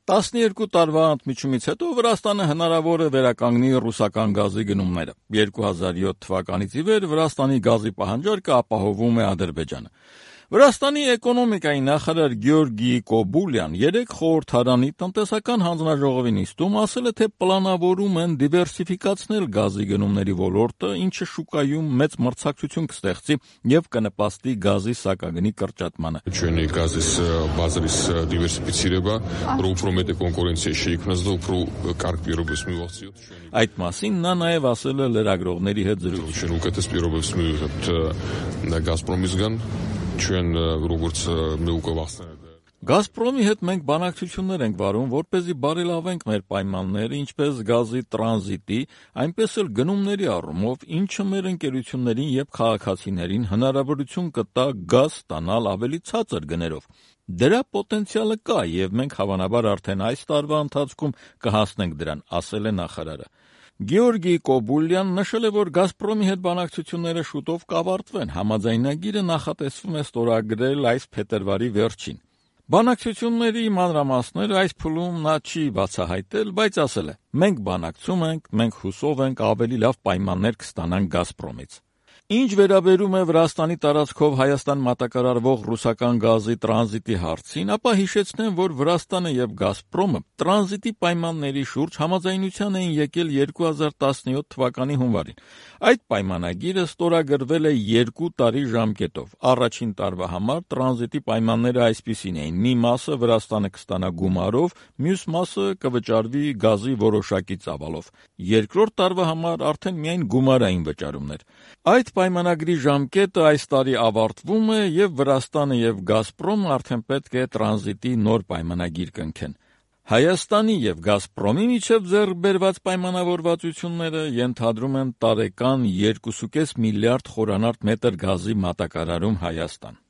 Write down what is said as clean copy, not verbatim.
12 տարվա ընդմիջումից հետո Վրաստանը հնարավոր է վերականգնի ռուսական գազի գնումները։ 2007 թվականից ի վեր Վրաստանի գազի պահանջարկը ապահովում է Ադրբեջանը։ Վրաստանի էկոնոմիկայի նախարար Գեորգի Կոբուլյան երեկ խորհրդարանի տնտեսական հանձնաժողովի նիստում ասել է, թե պլանավորում են դիվերսիֆիկացնել գազի գնումների ոլորտը, ինչը շուկայում մեծ մրցակցություն կստեղծի եւ կնպաստի գազի սակագնի կրճատմանը։ Ჩვენ գազის ბაზრის დივერსიფიცირება, რომ უფრო მეტი კონკურენცია შეიქმნას და უფრო კარგ პირობებს მივახციოთ. Այդ մասին նա նաև ասել է լրագրողների հետ զրույցում։ Ჩვენ უკეთეს პირობებს მივიღებთ Gazprom-ისგან, ჩვენ როგორც მე უკვე վախցնել Գազպրոմի հետ մենք բանակցություններ ենք վարում, որպեսզի բարելավենք մեր պայմանները, ինչպես գազի տրանզիտի, այնպես էլ գնումների առումով, ինչը մեր ընկերություններին եւ քաղաքացիներին հնարավորություն կտա գազ ստանալ ավելի ցածր գներով։ Դրա պոտենցիալը կա եւ մենք հավանաբար արդեն այս տարվա ընթացքում կհասնենք դրան, ասել է նախարարը։ Գեորգի Կոբուլյան նշել է, որ Գազպրոմի հետ բանակցությունները շուտով կավարտվեն, համաձայնագիրը նախատեսվում է ստորագրել այս փետրվարի վերջին։ Բանակցությունների մանրամասները այս փուլում նա չի բացահայտել, բայց ասել է. մենք բանակցում ենք, մենք հուսով ենք ավելի լավ պայմաններ կստանանք Գազպրոմից։ Ինչ վերաբերում է Վրաստանի տարածքով Հայաստան մատակարարվող ռուսական գազի տրանզիտի հարցին, ապա հիշեցնեմ, որ Վրաստանը եւ Գազպրոմը տրանզիտի պայմանների շուրջ համաձայնության էին եկել 2017 թվականի հունվարին։ Այդ պայմանագիրը ստորագրվել է 2 տարի ժամկետով։ Առաջին տարվա համար տրանզիտի պայմանները այսպիսին էին. մի մասը Վրաստանը կստանա գումարով, մյուս մասը կվճարվի գազի որոշակի ծավալով։ Երկրորդ տարվա համար արդեն միայն գումարային վճարումներ։ Այդ պայմանագրի ժամկետը այս տարի ավարտվում է եւ Վրաստանը եւ Գազպրոմը արդեն պետք է տրանզիտի նոր պայմանագիր կնքեն։ Հայաստանի եւ Գազպրոմի միջև ձեռք բերված պայմանավորվածությունները ենթադրում են տարեկան 2.5 միլիարդ խորանարդ մետր գազի մատակարարում Հայաստան։